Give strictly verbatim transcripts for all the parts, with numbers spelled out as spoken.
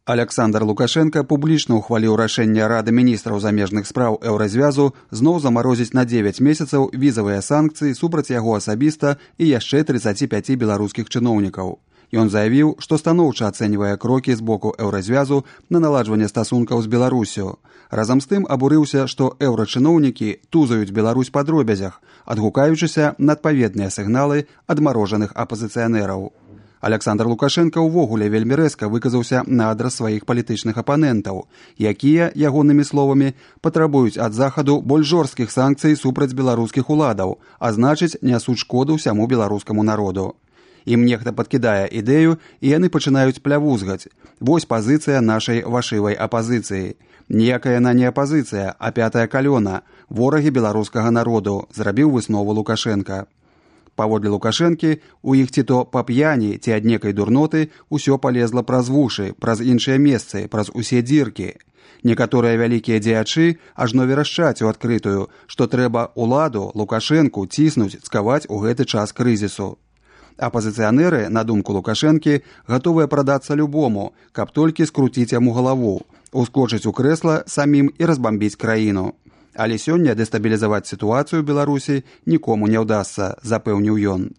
Аляксандр Лукашенка публічна ўхваліў рашэнне Рады міністраў замежных спраў Еўразвязу зноў замарозіць на дзевяць месяцаў візавыя санкцыі супраць яго асабіста і яшчэ трыццаці пяці беларускіх чыноўнікаў. Ён заявіў, што станоўча ацэньвае крокі з боку Еўразвязу на наладжванне стасункаў з Беларусю. Разам з тым абурыўся, што еўрачыноўнікі тузаюць Беларусь па дробязях, адгукаючыся на адпаведныя сігналы адмарожаных апазіцыянераў. Аляксандр Лукашенка ўвогуле вельмі рэзка выказаўся на адрас сваіх палітычных апанентаў, якія, ягонымі словамі, патрабуюць ад Захаду больш жорсткіх санкцый супраць беларускіх уладаў, а значыць, нясуць шкоду ўсяму беларускаму народу. Ім нехта падкідае ідэю, і яны пачынаюць плявузгаць. Вось пазіцыя нашай вашывай апазіцыі. Ніякая яна не апазіцыя, а пятая калёна, ворагі беларускага народу, зрабіў выснову Лукашенка. Паводле Лукашэнкі, у іх ці то па п'яні, ці ад некай дурноты ўсё палезла праз вушы, праз іншыя месцы, праз усе дзіркі. Некаторыя вялікія дзеячы ажно верашчаць у адкрытую, што трэба уладу, Лукашэнку, ціснуць, цкаваць у гэты час крызісу. Апазіцыянеры, на думку Лукашэнкі, гатовыя прадацца любому, каб толькі скруціць яму галаву, ускочыць у крэсла самім і разбамбіць краіну. Але сёння дэстабілізаваць сітуацыю ў Беларусі нікому не ўдасца, запэўніў ён.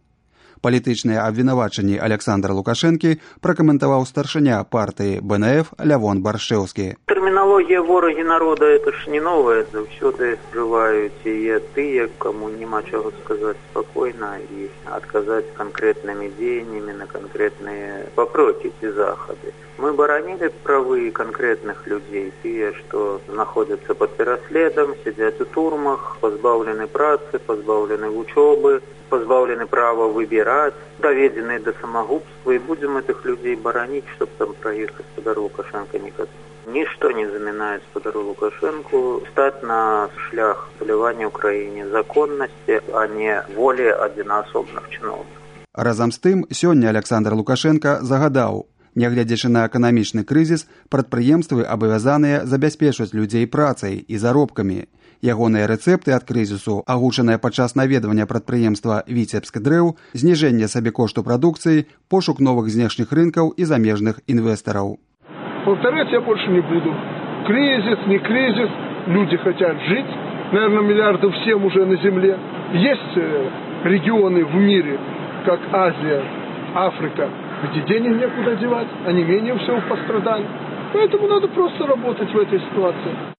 Палітычныя абвінавачанні Аляксандра Лукашэнкі пракаментаваў старшыня партыі Бэ Эн Эф Лявон Баршчэўскі. Тэрміналогія ворагі народа – это ж не новая, заўсёды жываюць і тыя, каму няма чаго сказаць спакойна і адказаць канкрэтнымі дзеяннямі на канкрэтныя папроці ці захады. Мы баранілі правы канкрэтных людзей, тыя, што знаходзяцца пад пераследам, сядзяць у турмах, пазбаўлены працы, пазбаўлены вучобы, пазбаўлены права выбіраць, даведзеныя да самагубства, і будзем гэтых людзей бараніць, чтоб там пра іх гаспадару Лукашенка не казаць. Нішто не замінае гаспадару Лукашенку стаць на шлях палявання ў краіне законнасці, а не волі адзінаасобных чыноўнікаў. Разам з тым, сёння Аляксандр Лукашенка загадаў, нягледзячы на эканамічны крызіс, прадпрыемствы абавязаныя забяспечваць людзей працай і заробкамі. Ягоныя рэцэпты ад крызісу, агучаныя падчас наведвання прадпрыемства Віцебск дрэў, зніжэнне сабекошту прадукцыі, пошук новых знешніх рынкаў і замежных инвесторов. Повторять я больше не буду. Кризис, не кризис, люди хотят жить. Наверное, миллиардов семь уже на земле. Есть регионы в мире, как Азия, Африка, где денег некуда девать, они менее всего пострадали. Поэтому надо просто работать в этой ситуации.